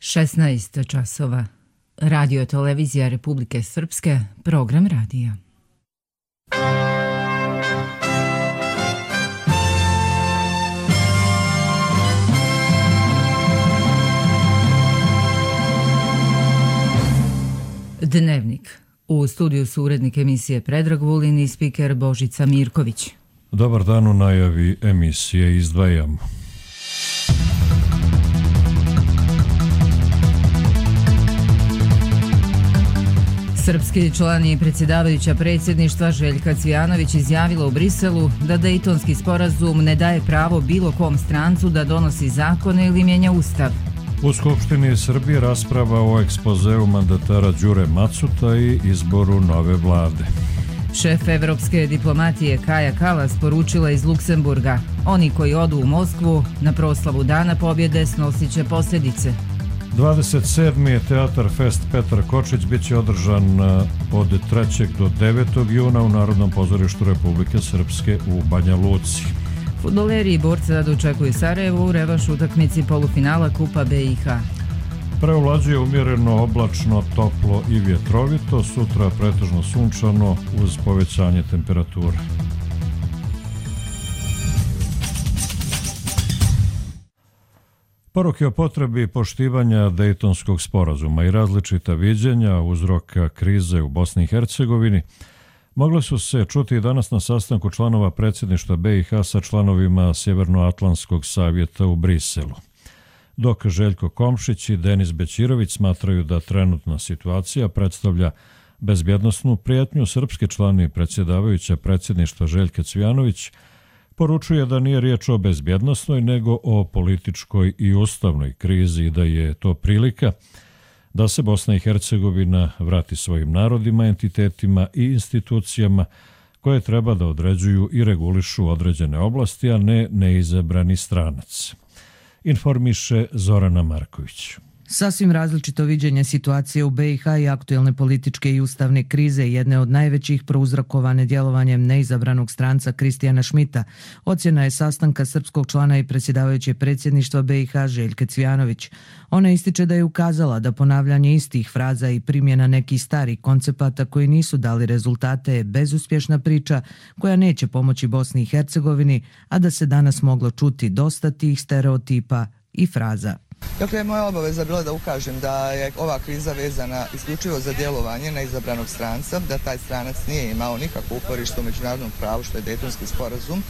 16 časova. Radio televizija Republike Srpske, program radija. Dnevnik. U studiju su urednik emisije Predrag Vulin i spiker Božica Mirković. Dobar dan, u najavi emisije izdvajamo. Srpski član i predsjedavajuća predsjedništva Željka Cvijanović izjavila u Briselu da Dejtonski sporazum ne daje pravo bilo kom strancu da donosi zakone ili mijenja ustav. U Skupštini Srbije rasprava o ekspozeu mandatara Đure Macuta i izboru nove vlade. Šef evropske diplomatije Kaja Kalas poručila iz Luksemburga: oni koji odu u Moskvu na proslavu Dana pobjede snosit će posljedice. 27. je Teatar Fest Petar Kočić bit će održan od 3. do 9. juna u Narodnom pozorištu Republike Srpske u Banja Luci. Fudbaleri i borci dočekuju Sarajevo u revanš utakmici polufinala Kupa BiH. Preovlađuje umjereno, oblačno, toplo i vjetrovito, sutra pretežno sunčano uz povećanje temperature. Poruke o potrebi poštivanja Dejtonskog sporazuma i različita viđenja uzroka krize u Bosni i Hercegovini mogle su se čuti i danas na sastanku članova predsjedništva BiH sa članovima Sjevernoatlantskog savjeta u Briselu. Dok Željko Komšić i Denis Bećirović smatraju da trenutna situacija predstavlja bezbjednosnu prijetnju, srpski član i predsjedavajuća predsjedništva Željka Cvijanović poručuje da nije riječ o bezbjednosnoj nego o političkoj i ustavnoj krizi i da je to prilika da se Bosna i Hercegovina vrati svojim narodima, entitetima i institucijama koje treba da određuju i regulišu određene oblasti, a ne neizabrani stranac. Informiše Zorana Marković. Sasvim različito viđenje situacije u BiH i aktuelne političke i ustavne krize, jedne od najvećih prouzrokovane djelovanjem neizabranog stranca Kristijana Šmita, ocjena je sastanka srpskog člana i predsjedavajuće predsjedništva BiH Željke Cvijanović. Ona ističe da je ukazala da ponavljanje istih fraza i primjena nekih starih koncepata koji nisu dali rezultate je bezuspješna priča koja neće pomoći Bosni i Hercegovini, a da se danas moglo čuti dosta tih stereotipa i fraza. Dakle, moja obaveza bila da ukažem da je ova kriza vezana isključivo za djelovanje neizabranog stranca, da taj stranac nije imao nikakvo uporište u međunarodnom pravu, što je Dejtonski sporazum,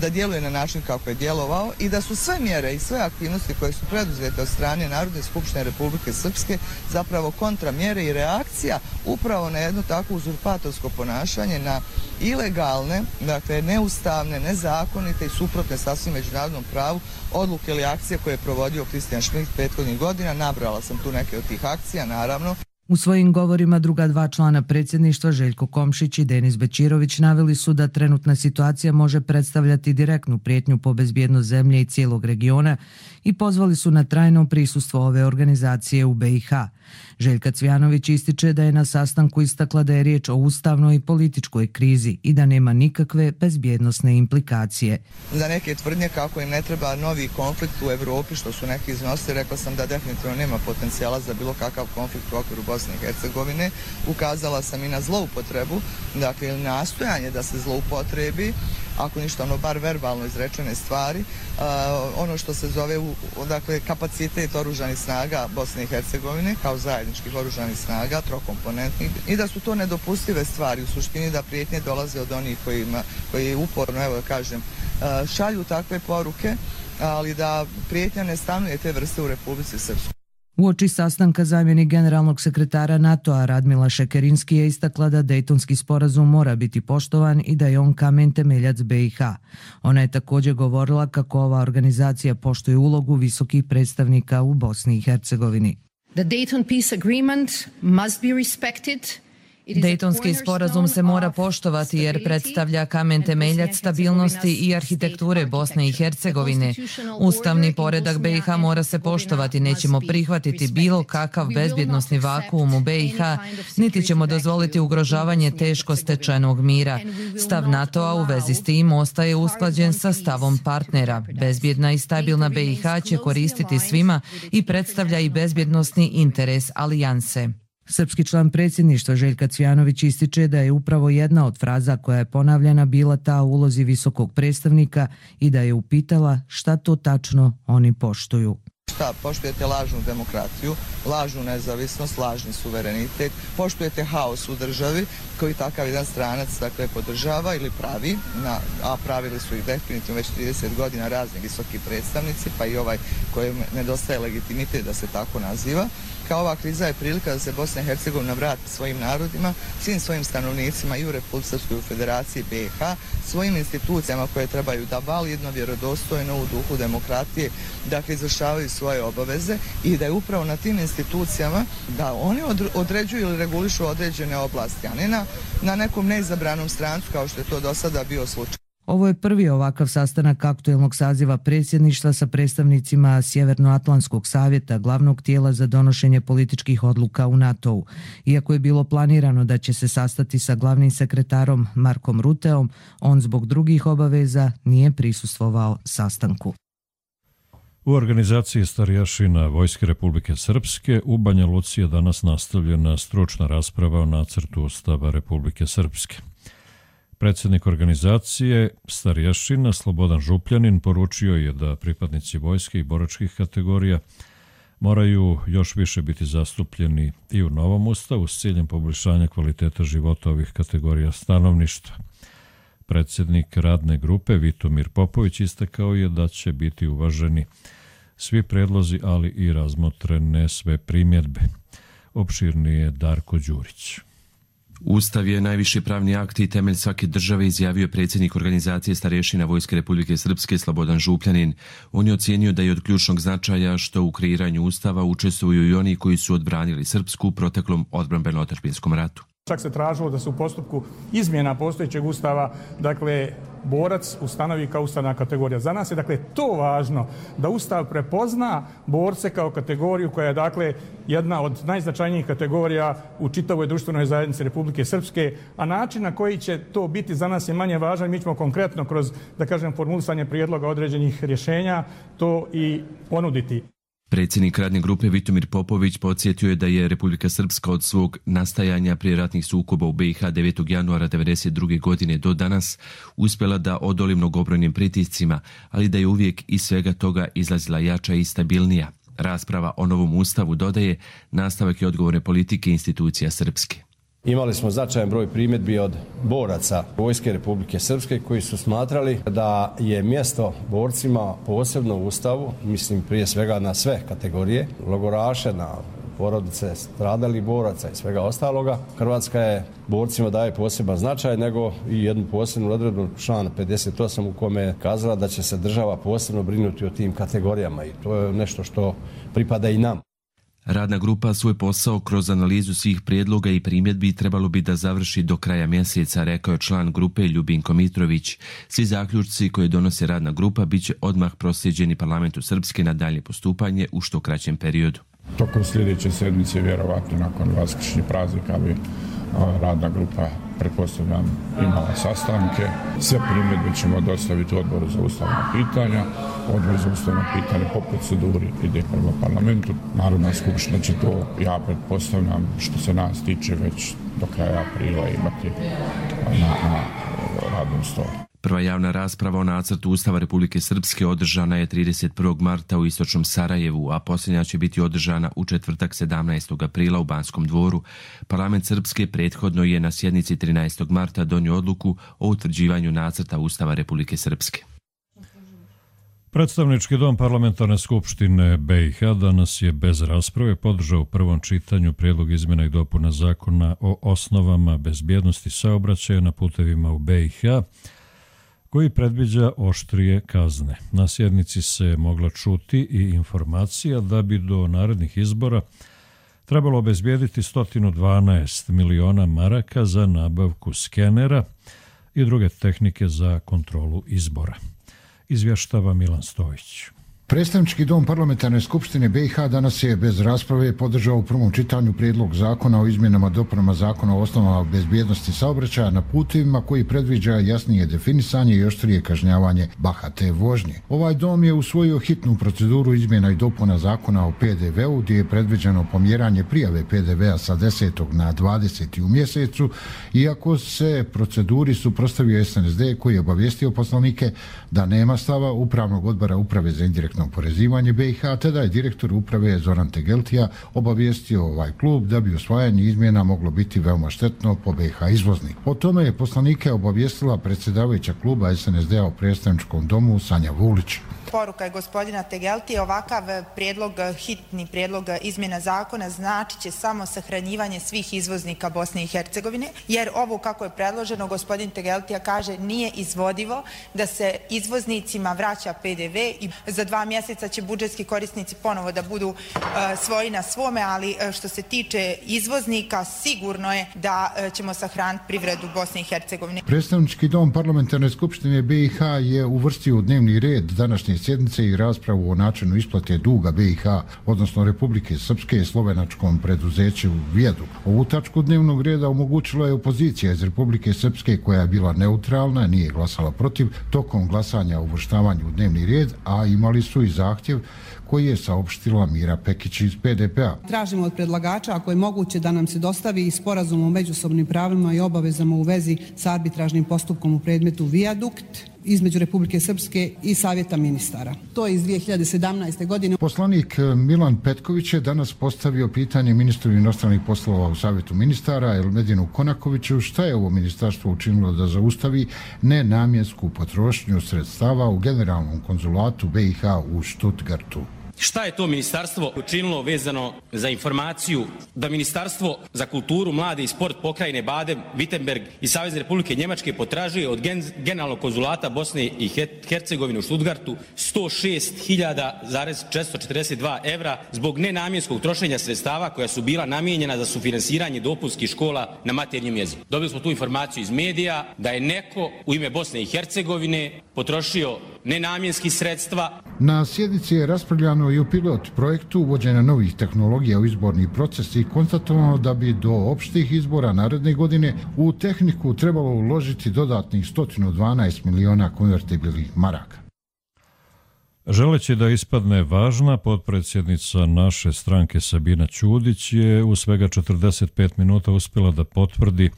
da djeluje na način kako je djelovao i da su sve mjere i sve aktivnosti koje su preduzete od strane Narodne skupštine Republike Srpske zapravo kontramjere i reakcija upravo na jedno takvo uzurpatorsko ponašanje, na ilegalne, dakle neustavne, nezakonite i suprotne sasvim međunarodnom pravu odluke ili akcije koje je provodio Kristijan Šmit prethodnih godina. Nabrala sam tu neke od tih akcija, naravno. U svojim govorima druga dva člana predsjedništva, Željko Komšić i Denis Bećirović, naveli su da trenutna situacija može predstavljati direktnu prijetnju po bezbjednost zemlje i cijelog regiona i pozvali su na trajno prisustvo ove organizacije u BiH. Željka Cvijanović ističe da je na sastanku istakla da je riječ o ustavnoj i političkoj krizi i da nema nikakve bezbjednosne implikacije. Za neke tvrdnje kako im ne treba novi konflikt u Evropi, što su neki iznosili, rekla sam da definitivno nema potencijala za bilo kakav konflikt u okviru Bosne i Hercegovine. Ukazala sam i na zloupotrebu, dakle ili nastojanje da se zloupotrebi, ako ništa bar verbalno izrečene stvari, ono što se zove dakle, kapacitet oružanih snaga Bosne i Hercegovine kao zajedničkih oružanih snaga, trokomponentnih, i da su to nedopustive stvari, u suštini da prijetnje dolaze od onih koji uporno, evo da kažem, šalju takve poruke, ali da prijetnja ne stanuje te vrste u Republici Srpskoj. Uoči sastanka zamjenik generalnog sekretara NATO-a Radmila Šekerinski je istakla da Dejtonski sporazum mora biti poštovan i da je on kamen temeljac BiH. Ona je također govorila kako ova organizacija poštuje ulogu visokih predstavnika u Bosni i Hercegovini. The Dayton Peace Agreement must be respected Dejtonski sporazum se mora poštovati jer predstavlja kamen temeljac stabilnosti i arhitekture Bosne i Hercegovine. Ustavni poredak BiH mora se poštovati, nećemo prihvatiti bilo kakav bezbjednosni vakuum u BiH, niti ćemo dozvoliti ugrožavanje teško stečenog mira. Stav NATO-a u vezi s tim ostaje usklađen sa stavom partnera. Bezbjedna i stabilna BiH će koristiti svima i predstavlja i bezbjednosni interes alijanse. Srpski član predsjedništva Željka Cvijanović ističe da je upravo jedna od fraza koja je ponavljana bila ta u ulozi visokog predstavnika i da je upitala šta to tačno oni poštuju. Šta, poštujete lažnu demokratiju, lažnu nezavisnost, lažni suverenitet, poštujete haos u državi koji takav jedan stranac podržava ili pravi, a pravili su ih definitivno već 30 godina razni visoki predstavnici, pa i ovaj kojem nedostaje legitimitet da se tako naziva. Kao ova kriza je prilika da se Bosna i Hercegovina vrati svojim narodima, svim svojim stanovnicima i u Republici Srpskoj, u Federaciji BiH, svojim institucijama koje trebaju da validno, vjerodostojno u duhu demokratije, dakle izvršavaju svoje obaveze i da je upravo na tim institucijama da oni određuju ili regulišu određene oblasti, a ne na nekom neizabranom strancu kao što je to do sada bio slučaj. Ovo je prvi ovakav sastanak aktuelnog saziva predsjedništva sa predstavnicima Sjevernoatlantskog savjeta, glavnog tijela za donošenje političkih odluka u NATO-u. Iako je bilo planirano da će se sastati sa glavnim sekretarom Markom Ruteom, on zbog drugih obaveza nije prisustvovao sastanku. U organizaciji starješina Vojske Republike Srpske u Banja Luci je danas nastavljena stručna rasprava o nacrtu Ustava Republike Srpske. Predsjednik organizacije starješina Slobodan Župljanin poručio je da pripadnici vojske i boračkih kategorija moraju još više biti zastupljeni i u novom ustavu s ciljem poboljšanja kvaliteta života ovih kategorija stanovništva. Predsjednik radne grupe Vitomir Popović istakao je da će biti uvaženi svi predlozi, ali i razmotrene sve primjedbe. Opširnije Darko Đurić. Ustav je najviši pravni akt i temelj svake države, izjavio predsjednik organizacije starješina Vojske Republike Srpske Slobodan Župljanin. On je ocijenio da je od ključnog značaja što u kreiranju Ustava učestvuju i oni koji su odbranili Srpsku u proteklom odbrambeno-otadžbinskom ratu. Čak se tražilo da se u postupku izmjena postojećeg Ustava, borac ustanovi kao ustavna kategorija. Za nas je to važno da Ustav prepozna borce kao kategoriju koja je jedna od najznačajnijih kategorija u čitavoj društvenoj zajednici Republike Srpske, a način na koji će to biti za nas je manje važan. Mi ćemo konkretno kroz, formulisanje prijedloga određenih rješenja to i ponuditi. Predsjednik radne grupe Vitomir Popović podsjetio je da je Republika Srpska od svog nastajanja prije ratnih sukoba u BiH 9. januara 1992. godine do danas uspjela da odoli mnogobrojnim pritiscima, ali da je uvijek iz svega toga izlazila jača i stabilnija. Rasprava o novom ustavu, dodaje, nastavak je odgovorne politike institucija Srpske. Imali smo značajan broj primjedbi od boraca Vojske Republike Srpske koji su smatrali da je mjesto borcima posebno u Ustavu, mislim prije svega na sve kategorije, logoraše, na porodice stradalih boraca i svega ostaloga. Hrvatska je borcima daje poseban značaj, nego i jednu posebnu odredbu člana 58 u kome je kazala da će se država posebno brinuti o tim kategorijama i to je nešto što pripada i nam. Radna grupa svoj posao kroz analizu svih prijedloga i primjedbi trebalo bi da završi do kraja mjeseca, rekao je član grupe Ljubinko Mitrović. Svi zaključci koje donosi radna grupa bit će odmah proslijeđeni Parlamentu Srpske na dalje postupanje u što kraćem periodu. Tokom sljedeće sedmice, vjerovatno nakon vaskršnjih praznika, bi radna grupa, pretpostavljam, imala sastanke. Sve primjedbe ćemo dostaviti Odboru za ustavna pitanja. Odbor za ustavna pitanja po proceduri ide prema parlamentu. Narodna skupština će to, ja pretpostavljam, što se nas tiče, već do kraja aprila imati na radnom stolu. Prva javna rasprava o nacrtu Ustava Republike Srpske održana je 31. marta u istočnom Sarajevu, a posljednja će biti održana u četvrtak 17. aprila u Banskom dvoru. Parlament Srpske prethodno je na sjednici 13. marta donio odluku o utvrđivanju nacrta Ustava Republike Srpske. Predstavnički dom Parlamentarne skupštine BiH danas je bez rasprave podržao u prvom čitanju prijedlog izmjena i dopuna zakona o osnovama bezbjednosti saobraćaja na putevima u BiH, koji predviđa oštrije kazne. Na sjednici se mogla čuti i informacija da bi do narednih izbora trebalo obezbijediti 112 miliona maraka za nabavku skenera i druge tehnike za kontrolu izbora. Izvještava Milan Stojić. Predstavnički dom Parlamentarne skupštine BiH danas je bez rasprave podržao u prvom čitanju prijedlog zakona o izmjenama i dopunama zakona o osnovama bezbjednosti saobraćaja na putevima koji predviđa jasnije definisanje i oštrije kažnjavanje bahate vožnje. Ovaj dom je usvojio hitnu proceduru izmjena i dopuna zakona o PDV-u gdje je predviđeno pomjeranje prijave PDV-a sa 10. na 20. u mjesecu, iako se proceduri suprotstavio SNSD koji je obavijestio poslanike da nema stava Upravnog odbora Uprave za indirektno oporezivanje BiH, te da je direktor uprave Zoran Tegeltija obavijestio ovaj klub da bi usvajanje izmjena moglo biti veoma štetno po BiH izvoznik. O tome je poslanike obavijestila predsjedavajuća kluba SNSD-a u predstavničkom domu Sanja Vulić. Poruka je gospodina Tegeltija, ovakav hitni prijedlog izmjena zakona znači će samo sahranjivanje svih izvoznika Bosne i Hercegovine, jer ovo kako je predloženo, gospodin Tegeltija kaže, nije izvodivo da se izvoznicima vraća PDV i za 2 mjeseca će budžetski korisnici ponovo da budu svoji na svome, ali što se tiče izvoznika, sigurno je da ćemo sahraniti privredu Bosne i Hercegovine. Predstavnički dom Parlamentarne skupštine BiH je uvrstio u dnevni red današnje sjednice i raspravu o načinu isplate duga BiH, odnosno Republike Srpske, slovenačkom preduzeću Vijeduk. Ovu tačku dnevnog reda omogućila je opozicija iz Republike Srpske koja je bila neutralna, nije glasala protiv tokom glasanja o uvrštavanju u dnevni red, a imali su i zahtjev koji je saopštila Mira Pekić iz PDP-a. Tražimo od predlagača, ako je moguće, da nam se dostavi i sporazum o međusobnim pravima i obavezama u vezi sa arbitražnim postupkom u predmetu Vijadukt između Republike Srpske i Savjeta ministara. To je iz 2017. godine. Poslanik Milan Petković je danas postavio pitanje ministru inostranih poslova u Savjetu ministara Elmedinu Konakoviću šta je ovo ministarstvo učinilo da zaustavi nenamjensku potrošnju sredstava u generalnom konzulatu BiH u Stuttgartu. Šta je to ministarstvo učinilo vezano za informaciju da Ministarstvo za kulturu, mlade i sport pokrajine Baden-Württemberg i Savezne Republike Njemačke potražuje od Generalnog konzulata Bosne i Hercegovine u Stuttgartu 106.442 evra zbog nenamjenskog trošenja sredstava koja su bila namijenjena za sufinansiranje dopunskih škola na maternjem jeziku. Dobili smo tu informaciju iz medija da je neko u ime Bosne i Hercegovine potrošio nenamjenski sredstva. Na sjednici je raspravljano i o pilot projektu uvođenja novih tehnologija u izborni proces i konstatovano da bi do opštih izbora naredne godine u tehniku trebalo uložiti dodatnih 112 miliona konvertibilnih maraka. Želeći da ispadne važna, potpredsjednica naše stranke Sabina Ćudić je u svega 45 minuta uspjela da potvrdi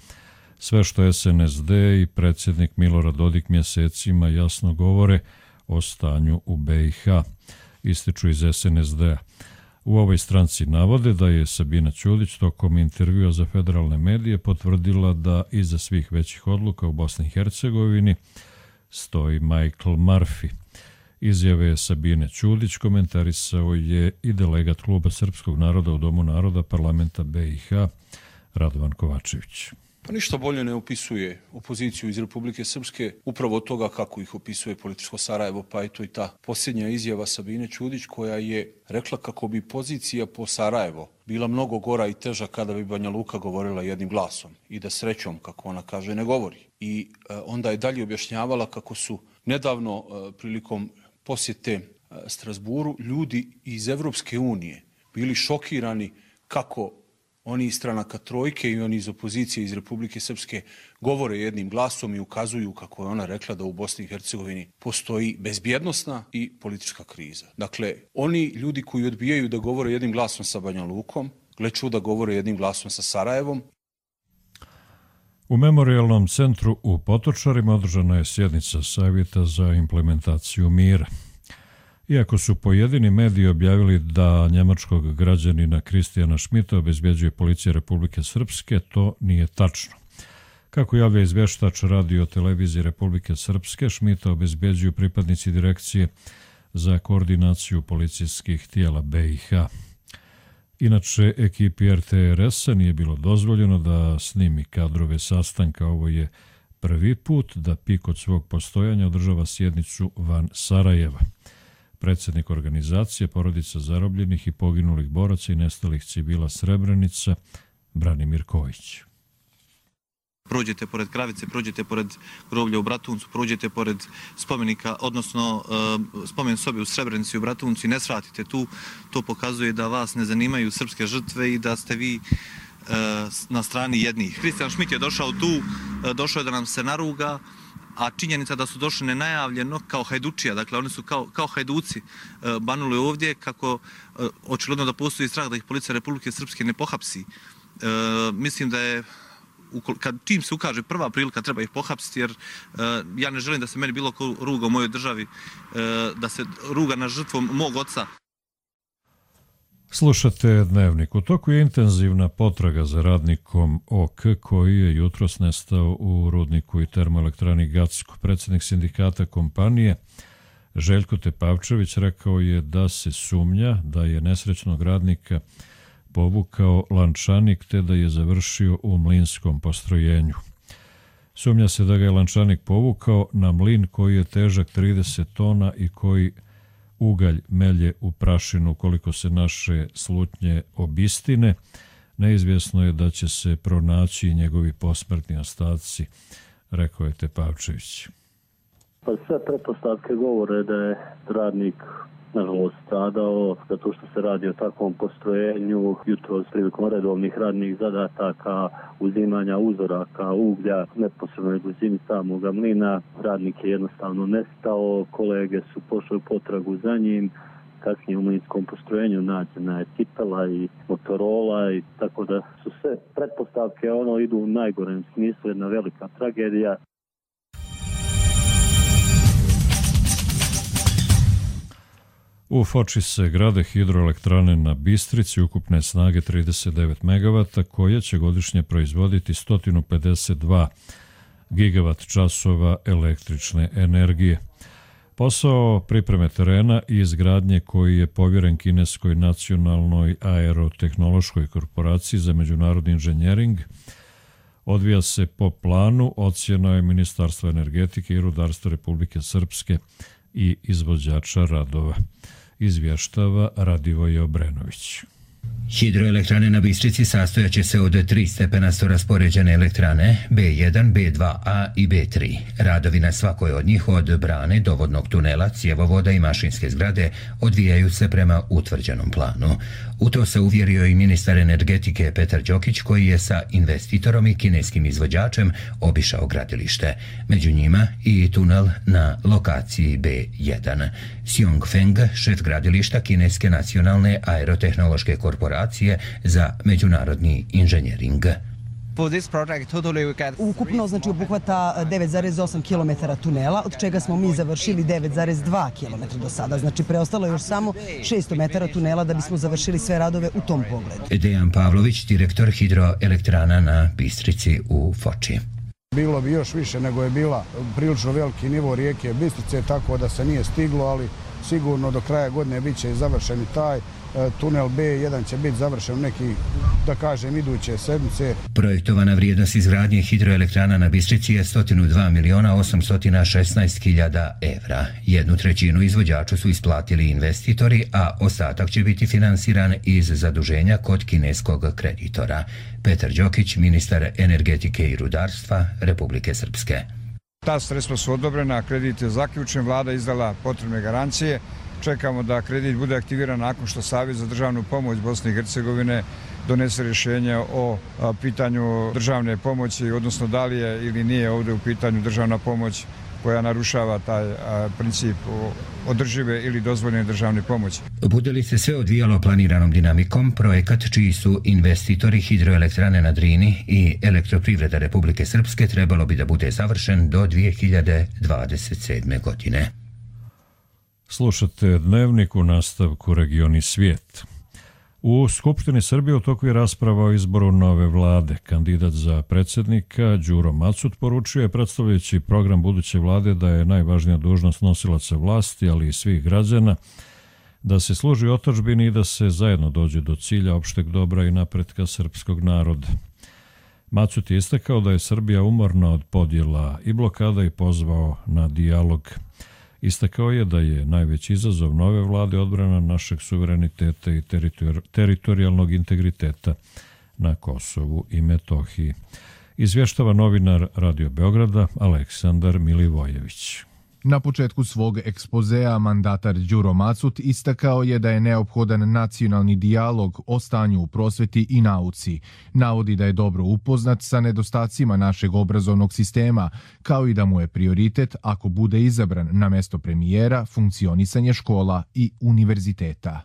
sve što SNSD i predsjednik Milorad Dodik mjesecima jasno govore o stanju u BiH, ističu iz SNSD-a. U ovoj stranci navode da je Sabina Ćudić tokom intervjua za federalne medije potvrdila da iza svih većih odluka u Bosni i Hercegovini stoji Michael Murphy. Izjave Sabine Ćudić komentarisao je i delegat Kluba srpskog naroda u Domu naroda parlamenta BiH Radovan Kovačević. Pa ništa bolje ne opisuje opoziciju iz Republike Srpske upravo od toga kako ih opisuje političko Sarajevo, pa eto i ta posljednja izjava Sabine Ćudić koja je rekla kako bi pozicija po Sarajevo bila mnogo gora i teža kada bi Banja Luka govorila jednim glasom i da srećom, kako ona kaže, ne govori. I onda je dalje objašnjavala kako su nedavno prilikom posjete Strasburu ljudi iz Evropske unije bili šokirani kako oni iz stranaka trojke i oni iz opozicije iz Republike Srpske govore jednim glasom i ukazuju, kako je ona rekla, da u Bosni i Hercegovini postoji bezbjednosna i politička kriza. Dakle, oni ljudi koji odbijaju da govore jednim glasom sa Banja Lukom, gle čuda govore jednim glasom sa Sarajevom. U Memorijalnom centru u Potočarima održana je sjednica Savjeta za implementaciju mira. Iako su pojedini mediji objavili da njemačkog građanina Kristijana Šmita obezbjeđuje policija Republike Srpske, to nije tačno. Kako javlja izvještač radio televizije Republike Srpske, Šmita obezbjeđuju pripadnici direkcije za koordinaciju policijskih tijela BiH. Inače, ekipi RTRS-a nije bilo dozvoljeno da snimi kadrove sastanka. Ovo je prvi put da PIK od svog postojanja održava sjednicu van Sarajeva. predsjednik organizacije Porodica zarobljenih i poginulih boraca i nestalih civila Srebrenica, Branimir Kojić. Prođete pored Kravice, prođete pored groblja u Bratuncu, prođete pored spomenika, odnosno spomen sobe u Srebrenici u Bratuncu i ne svratite tu, to pokazuje da vas ne zanimaju srpske žrtve i da ste vi na strani jednih. Kristijan Šmit je došao tu, došao je da nam se naruga, a činjenica da su došli nenajavljeno kao hajdučija, dakle oni su kao hajduci banuli ovdje, kako očigledno da postoji strah da ih policija Republike Srpske ne pohapsi. Mislim da je čim se ukaže prva prilika treba ih pohapsiti, jer ja ne želim da se meni bilo ko ruga u mojoj državi, da se ruga na žrtvom mog oca. Slušate Dnevnik. U toku je intenzivna potraga za radnikom OK koji je jutros nestao u rudniku i termoelektrani Gacko. Predsjednik sindikata kompanije Željko Tepavčević rekao je da se sumnja da je nesrećnog radnika povukao lančanik te da je završio u mlinskom postrojenju. Sumnja se da ga je lančanik povukao na mlin koji je težak 30 tona i koji ugalj melje u prašinu. Koliko se naše slutnje obistine, neizvjesno je da će se pronaći njegovi posmrtni ostaci, rekao je Tepavčević. Pa sve pretpostavke govore da je radnik nažalost stradao zato što se radi o takvom postrojenju. Jutros prilikom redovnih radnih zadataka uzimanja uzoraka uglja neposrednoj blizini samoga mlina radnik je jednostavno nestao, kolege su pošli u potragu za njim. Kasnije u mlinskom postrojenju nađena je cipela i Motorola i tako da su sve pretpostavke idu u najgorem smislu, jedna velika tragedija. U Foči se grade hidroelektrane na Bistrici ukupne snage 39 MW koje će godišnje proizvoditi 152 GWh električne energije. Posao pripreme terena i izgradnje koji je povjeren kineskoj nacionalnoj aerotehnološkoj korporaciji za međunarodni inženjering odvija se po planu, ocjena je Ministarstva energetike i rudarstva Republike Srpske i izvođača radova. Izvještava Radivoje Obrenović. Hidroelektrane na Bistrici sastojaće se od 3 stepenasto raspoređene elektrane B1, B2A i B3. Radovi na svakoj od njih od brane do vodnog tunela, cjevovoda i mašinske zgrade odvijaju se prema utvrđenom planu. U to se uvjerio i ministar energetike Petar Đokić koji je sa investitorom i kineskim izvođačem obišao gradilište. Među njima i tunel na lokaciji B1. Xiong Feng, šef gradilišta Kineske nacionalne aerotehnološke korporacije za međunarodni inženjering. Ukupno obuhvata 9,8 km tunela, od čega smo mi završili 9,2 km do sada. Znači preostalo još samo 600 metara tunela da bismo završili sve radove u tom pogledu. Dejan Pavlović, direktor hidroelektrana na Bistrici u Foči. Bilo bi još više nego je bila prilično veliki nivo rijeke Bistrice, tako da se nije stiglo, ali sigurno do kraja godine bit će završen i taj tunel B1 će biti završen neki, da kažem, iduće sedmice. Projektovana vrijednost izgradnje hidroelektrana na Bistrici je 102.816.000 evra. 1/3 izvođaču su isplatili investitori, a ostatak će biti finansiran iz zaduženja kod kineskog kreditora. Petar Đokić, ministar energetike i rudarstva Republike Srpske. Ta sredstva su odobrena, kredit je zaključen, vlada izdala potrebne garancije. Čekamo da kredit bude aktiviran nakon što Savjet za državnu pomoć Bosne i Hercegovine donese rješenje o pitanju državne pomoći, odnosno da li je ili nije ovdje u pitanju državna pomoć koja narušava taj princip održive ili dozvoljene državne pomoći. Bude li se sve odvijalo planiranom dinamikom, projekat čiji su investitori hidroelektrane na Drini i Elektroprivreda Republike Srpske trebalo bi da bude završen do 2027. godine. Slušate Dnevnik, u nastavku Regioni svijet. U Skupštini Srbije u toku je rasprava o izboru nove vlade. Kandidat za predsjednika Đuro Macut poručio je predstavljajući program buduće vlade da je najvažnija dužnost nosilaca vlasti, ali i svih građana, da se služi otadžbini i da se zajedno dođe do cilja opšteg dobra i napretka srpskog naroda. Macut je istakao da je Srbija umorna od podjela i blokada i pozvao na dijalog. Istakao je da je najveći izazov nove vlade odbrana našeg suvereniteta i teritorijalnog integriteta na Kosovu i Metohiji. Izvještava novinar Radio Beograda Aleksandar Milivojević. Na početku svog ekspozea mandatar Đuro Macut istakao je da je neophodan nacionalni dijalog o stanju u prosveti i nauci. Navodi da je dobro upoznat sa nedostacima našeg obrazovnog sistema, kao i da mu je prioritet, ako bude izabran na mesto premijera, funkcionisanje škola i univerziteta.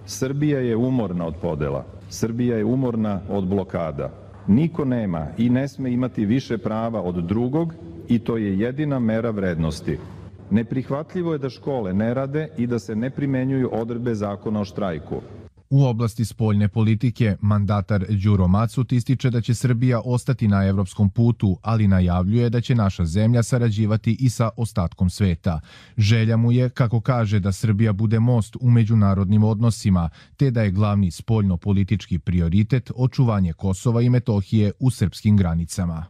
Srbija je umorna od podela. Srbija je umorna od blokada. Niko nema i ne sme imati više prava od drugog i to je jedina mera vrednosti. Neprihvatljivo je da škole ne rade i da se ne primenjuju odredbe zakona o štrajku. U oblasti spoljne politike, mandatar Đuro Macut ističe da će Srbija ostati na evropskom putu, ali najavljuje da će naša zemlja sarađivati i sa ostatkom sveta. Želja mu je, kako kaže, da Srbija bude most u međunarodnim odnosima, te da je glavni spoljno-politički prioritet očuvanje Kosova i Metohije u srpskim granicama.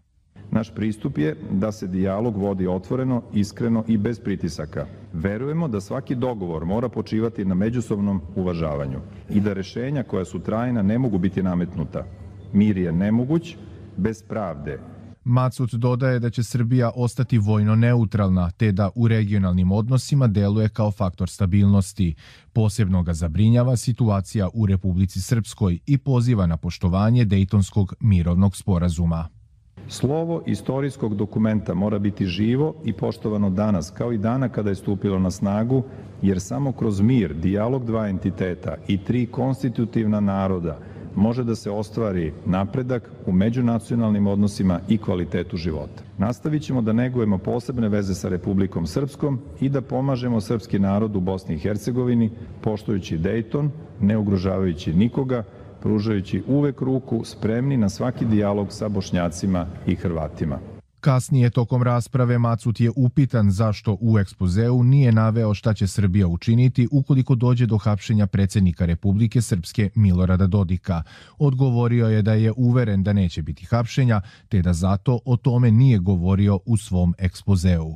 Naš pristup je da se dijalog vodi otvoreno, iskreno i bez pritisaka. Verujemo da svaki dogovor mora počivati na međusobnom uvažavanju i da rešenja koja su trajna ne mogu biti nametnuta. Mir je nemoguć bez pravde. Macut dodaje da će Srbija ostati vojno neutralna, te da u regionalnim odnosima deluje kao faktor stabilnosti. Posebno ga zabrinjava situacija u Republici Srpskoj i poziva na poštovanje Dejtonskog mirovnog sporazuma. Slovo istorijskog dokumenta mora biti živo i poštovano danas, kao i dana kada je stupilo na snagu, jer samo kroz mir, dijalog dva entiteta i tri konstitutivna naroda može da se ostvari napredak u međunacionalnim odnosima i kvalitetu života. Nastavit ćemo da negujemo posebne veze sa Republikom Srpskom i da pomažemo srpski narod u Bosni i Hercegovini, poštujući Dejton, ne ugrožavajući nikoga, pružajući uvek ruku, spremni na svaki dijalog sa Bošnjacima i Hrvatima. Kasnije tokom rasprave Macut je upitan zašto u ekspozeu nije naveo šta će Srbija učiniti ukoliko dođe do hapšenja predsjednika Republike Srpske Milorada Dodika. Odgovorio je da je uveren da neće biti hapšenja, te da zato o tome nije govorio u svom ekspozeu.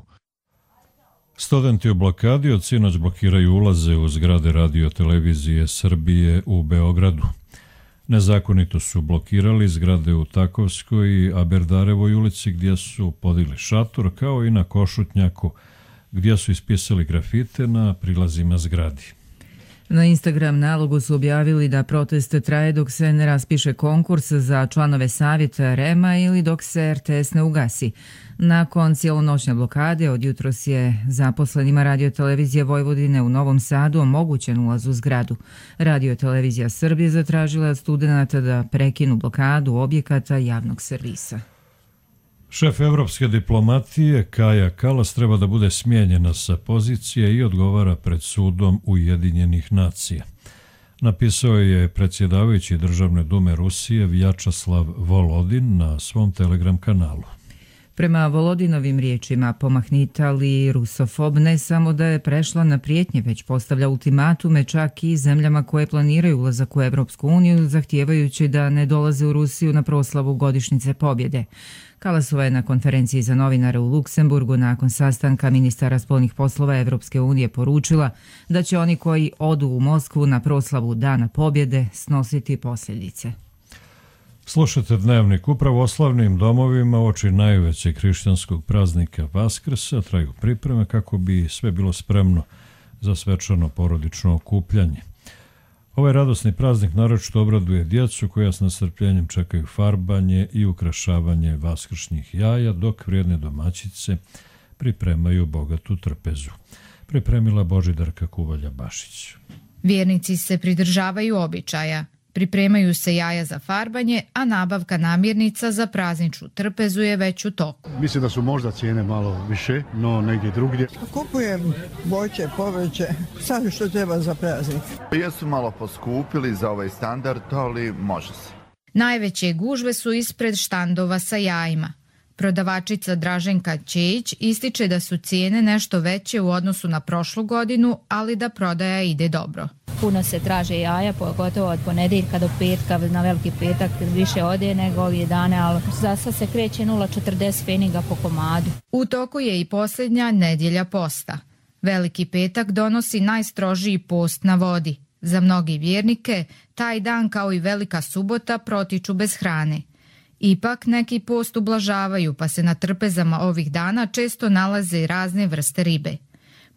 Studenti u blokadi od sinoć blokiraju ulaze u zgrade Radio Televizije Srbije u Beogradu. Nezakonito su blokirali zgrade u Takovskoj i Aberdarevoj ulici gdje su podigli šator, kao i na Košutnjaku gdje su ispisali grafite na prilazima zgradi. Na Instagram nalogu su objavili da protest traje dok se ne raspiše konkurs za članove savjeta REM-a ili dok se RTS ne ugasi. Nakon cijelonoćne blokade od jutros je zaposlenima Radio Televizije Vojvodine u Novom Sadu omogućen ulaz u zgradu. Radio Televizija Srbije zatražila od studenata da prekinu blokadu objekata javnog servisa. Šef evropske diplomatije Kaja Kallas treba da bude smijenjena sa pozicije i odgovara pred sudom Ujedinjenih nacija. Napisao je predsjedavajući Državne dume Rusije Vjačeslav Volodin na svom Telegram kanalu. Prema Volodinovim riječima, pomahnitali rusofob ne samo da je prešla na prijetnje, već postavlja ultimatume čak i zemljama koje planiraju ulazak u Evropsku uniju, zahtijevajući da ne dolaze u Rusiju na proslavu godišnjice pobjede. Kallasova je na konferenciji za novinare u Luksemburgu nakon sastanka ministara spoljnih poslova Evropske unije poručila da će oni koji odu u Moskvu na proslavu Dana pobjede snositi posljedice. Slušajte Dnevnik. U pravoslavnim domovima uoči najvećeg hrišćanskog praznika Vaskrsa traju pripreme kako bi sve bilo spremno za svečano porodično okupljanje. Ovaj radosni praznik naročito obraduje djecu koja s nestrpljenjem čekaju farbanje i ukrašavanje vaskršnjih jaja, dok vrijedne domaćice pripremaju bogatu trpezu. Pripremila Božidarka Kuvalja-Bašić. Vjernici se pridržavaju običaja. Pripremaju se jaja za farbanje, a nabavka namirnica za prazničnu trpezu je već u toku. Mislim da su možda cijene malo više, no negdje drugdje. Kupujem voće, povrće, sad što treba za praznik. Jesu malo poskupili za ovaj standard, ali može se. Najveće gužve su ispred štandova sa jajima. Prodavačica Draženka Čejić ističe da su cijene nešto veće u odnosu na prošlu godinu, ali da prodaja ide dobro. Puno se traže jaja, pogotovo od ponedjeljka do petka, na veliki petak više ode nego ovih dana, ali za sad se kreće 0,40 pfeniga po komadu. U toku je i posljednja nedjelja posta. Veliki petak donosi najstrožiji post na vodi. Za mnogi vjernike taj dan kao i Velika subota protiču bez hrane. Ipak neki post ublažavaju pa se na trpezama ovih dana često nalaze razne vrste ribe.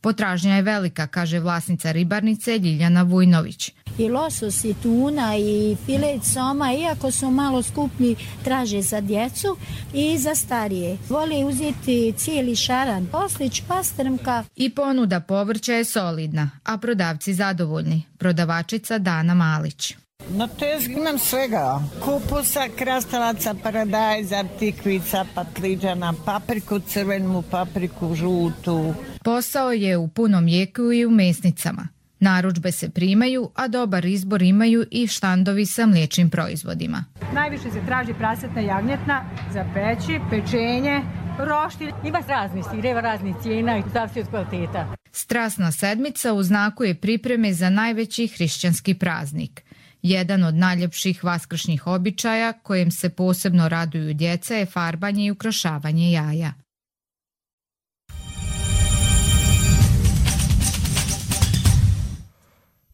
Potražnja je velika, kaže vlasnica ribarnice Ljiljana Vujnović. I losos i tuna i filet soma, iako su malo skuplji, traže za djecu i za starije. Vole uzeti cijeli šaran, oslić, pastrmka. I ponuda povrća je solidna, a prodavci zadovoljni. Prodavačica Dana Malić. Na tezgi imam svega. Kupusa, krastavaca, paradajza, tikvica, patliđana, papriku crvenu, papriku žutu. Posao je u punom jeku i u mesnicama. Narudžbe se primaju, a dobar izbor imaju i štandovi sa mliječnim proizvodima. Najviše se traži prasetna jagnjetna za peći, pečenje, roštilj. Ima raznih sireva, raznih cijena i zavisi od kvaliteta. Strasna sedmica u znaku je pripreme za najveći hrišćanski praznik. Jedan od najljepših vaskršnjih običaja kojem se posebno raduju djeca je farbanje i ukrašavanje jaja.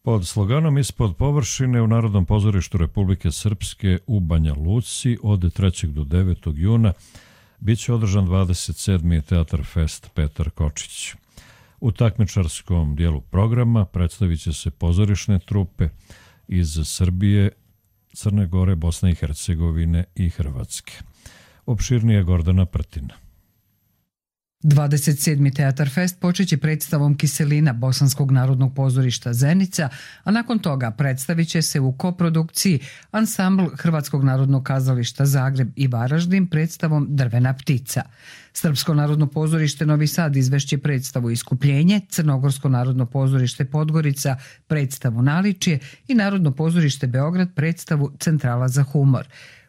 Pod sloganom Ispod površine u Narodnom pozorištu Republike Srpske u Banja Luci od 3. do 9. juna biće održan 27. Teatar Fest Petar Kočić. U takmičarskom dijelu programa predstavit će se pozorišne trupe iz Srbije, Crne Gore, Bosne i Hercegovine i Hrvatske. Opširnije Gordana Prtina. 27. Teatar Fest počeće predstavom Kiselina Bosanskog narodnog pozorišta Zenica, a nakon toga predstavit će se u koprodukciji ansambl Hrvatskog narodnog kazališta Zagreb i Varaždin predstavom Drvena ptica. Srpsko narodno pozorište Novi Sad izvešće predstavu Iskupljenje, Crnogorsko narodno pozorište Podgorica predstavu Naličje i Narodno pozorište Beograd predstavu Centrala za humor.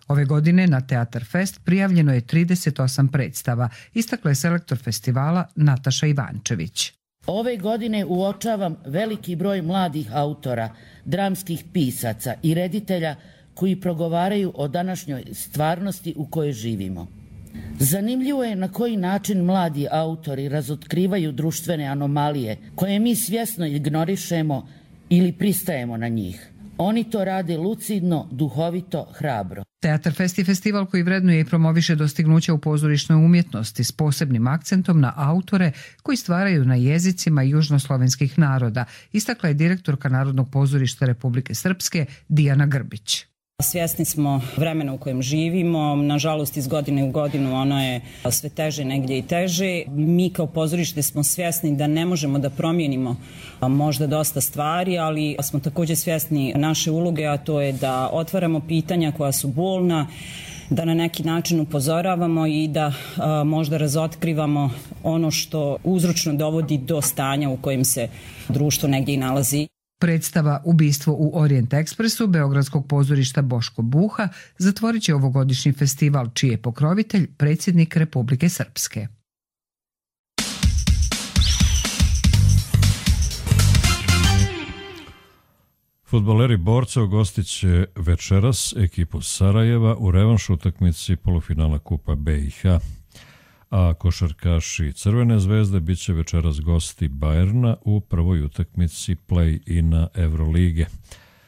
Ove godine na Teatar Fest prijavljeno je 38 predstava, istakla je selektor festivala Nataša Ivančević. Ove godine uočavam veliki broj mladih autora, dramskih pisaca i reditelja koji progovaraju o današnjoj stvarnosti u kojoj živimo. Zanimljivo je na koji način mladi autori razotkrivaju društvene anomalije koje mi svjesno ignorišemo ili pristajemo na njih. Oni to rade lucidno, duhovito, hrabro. Teatar Fest je festival koji vrednuje i promoviše dostignuća u pozorišnoj umjetnosti s posebnim akcentom na autore koji stvaraju na jezicima južnoslovenskih naroda, istakla je direktorka Narodnog pozorišta Republike Srpske Dijana Grbić. Svjesni smo vremena u kojem živimo, nažalost iz godine u godinu ono je sve teže, negdje i teže. Mi kao pozorište smo svjesni da ne možemo da promijenimo možda dosta stvari, ali smo također svjesni naše uloge, a to je da otvaramo pitanja koja su bolna, da na neki način upozoravamo i da možda razotkrivamo ono što uzročno dovodi do stanja u kojem se društvo negdje i nalazi. Predstava Ubistvo u Orient Ekspresu Beogradskog pozorišta Boško Buha zatvorit će ovogodišnji festival, čiji je pokrovitelj predsjednik Republike Srpske. Fudbaleri Borca ugostit će večeras ekipu Sarajeva u revanš utakmici polufinala Kupa BiH. A košarkaši Crvene zvezde bit će večeras gosti Bajerna u prvoj utakmici play-ina Evrolige.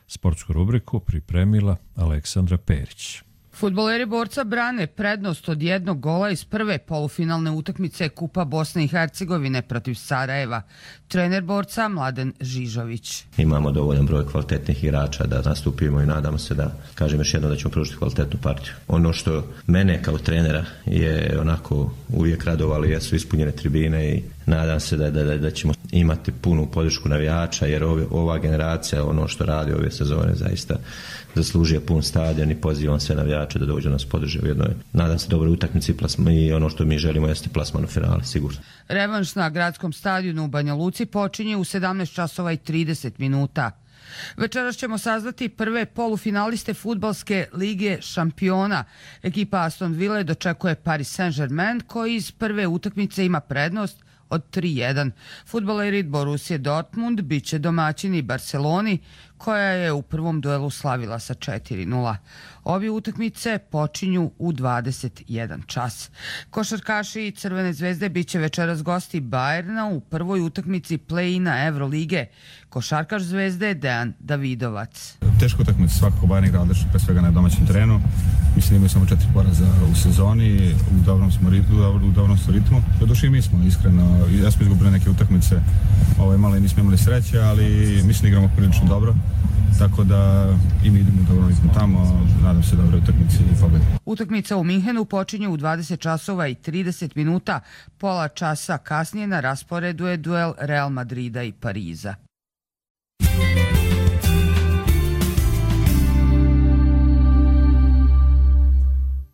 Sportsku rubriku pripremila Aleksandra Perić. Fudbaleri Borca brane prednost od 1 gola iz prve polufinalne utakmice Kupa Bosne i Hercegovine protiv Sarajeva. Trener Borca Mladen Žižović. Imamo dovoljan broj kvalitetnih igrača da nastupimo i nadamo se da, kažem još jednom, da ćemo pružiti kvalitetnu partiju. Ono što mene kao trenera je onako uvijek radovalo jesu ispunjene tribine i nadam se da ćemo imati punu podršku navijača, jer ova generacija, ono što radi ove sezone, zaista zaslužuje pun stadion i pozivam sve navijače da dođu nas podrže u jednoj, nadam se, dobroj utakmici i ono što mi želimo jeste plasman u finale, sigurno. Revanš na gradskom stadionu u Banja Luci počinje u 17 časova i 30 minuta. Večeras ćemo saznati prve polufinaliste fudbalske lige šampiona. Ekipa Aston Ville dočekuje Paris Saint-Germain koji iz prve utakmice ima prednost od 3-1. Fudbaleri Borussia Dortmund biće domaćini Barceloni, koja je u prvom duelu slavila sa 4-0. Obje utakmice počinju u 21 čas. Košarkaši Crvene zvezde biće večeras gosti Bayerna u prvoj utakmici play-ina Evrolige. Košarkaš Zvezde Dejan Davidovac. Teško utakmica, svakako Bayern igra odlično, pre svega na domaćem terenu. Mislim da imaju samo 4 poraza u sezoni, u dobrom smo ritmu. Doduše i mi smo, iskreno, ja smo izgubili neke utakmice, malo i nismo imali sreće, ali mislim da igramo prilično dobro. Tako da i mi idemo dobro ritmu tamo, nadam se dobre utakmice i pobjede. Utakmica u Minhenu počinje u 20 časova i 30 minuta. Pola časa kasnije na rasporedu je duel Real Madrida i Pariza.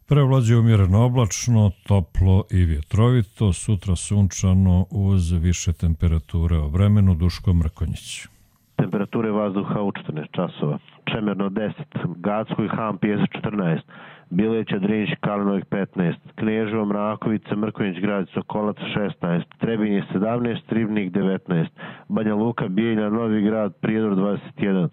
Prevlađuje umjereno oblačno, toplo i vjetrovito, sutra sunčano uz više temperature. O vremenu Duško Mrkonjić. Temperature vazduha u 14 časova. Čemerno 10, Gacko i Han Pjesak 14, Bileća, Drinć, Kalinovik 15, Kneževo, Mrakovica, Mrkonjić, Grad, Sokolac 16, Trebinje 17, Ribnik 19, Banja Luka, Bijeljina, Novi Grad, Prijedor 21,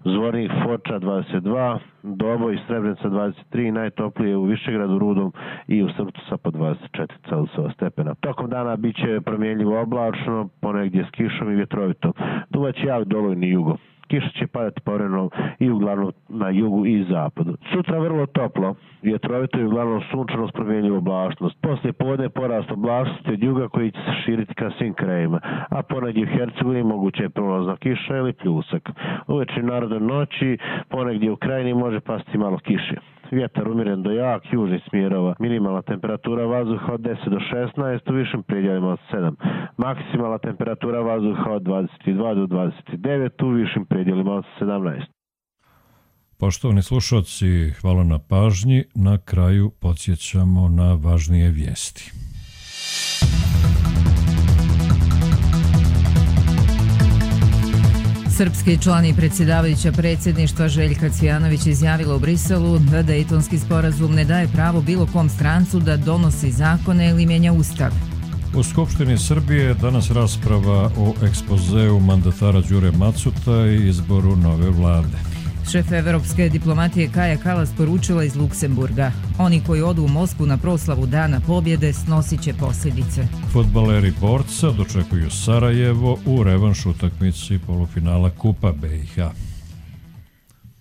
Zvornik, Foča 22, Doboj, Srebrenica 23, najtoplije u Višegradu, Rudom i u Srpcu sa po 24 Celzijeva stepena. Tokom dana bit će promjenljivo oblačno, ponegdje s kišom i vjetrovito. Duvaće jak dolojni jugo. Kiša će padati povremeno i uglavnom na jugu i zapadu. Sutra vrlo toplo, vjetrovito i uglavnom sunčano s promjenljivom oblačnost. Poslije podne porast oblačnosti od juga koji će se širiti ka svim krajima, a ponegdje u Hercegovini moguće je prolazna kiša ili pljusak. Uveče narodne noći ponegdje u krajini može pasti malo kiše. Vjetar umjeren do jak, južnih smjerova. Minimalna temperatura vazduha od 10 do 16, u višim predjelima od 7. Maksimalna temperatura vazduha od 22 do 29, u višim predjelima od 17. Poštovani slušalci, hvala na pažnji. Na kraju podsjećamo na važnije vijesti. Srpski član i predsjedavajuća predsjedništva Željka Cvijanović izjavila u Briselu da Dejtonski sporazum ne daje pravo bilo kom strancu da donosi zakone ili mijenja ustav. U Skupštini Srbije danas rasprava o ekspozeu mandatara Đure Macuta i izboru nove vlade. Šef evropske diplomatije Kaja Kalas poručila iz Luksemburga: oni koji odu u Moskvu na proslavu Dana pobjede snosit će posljedice. Fudbaleri Borca dočekuju Sarajevo u revanš utakmici polufinala Kupa BiH.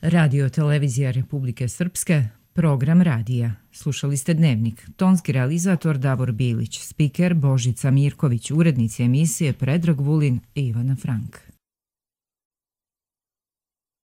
Radio Televizija Republike Srpske, program radija. Slušali ste Dnevnik. Tonski realizator Davor Bilić, spiker Božica Mirković, urednici emisije Predrag Vulin i Ivana Frank.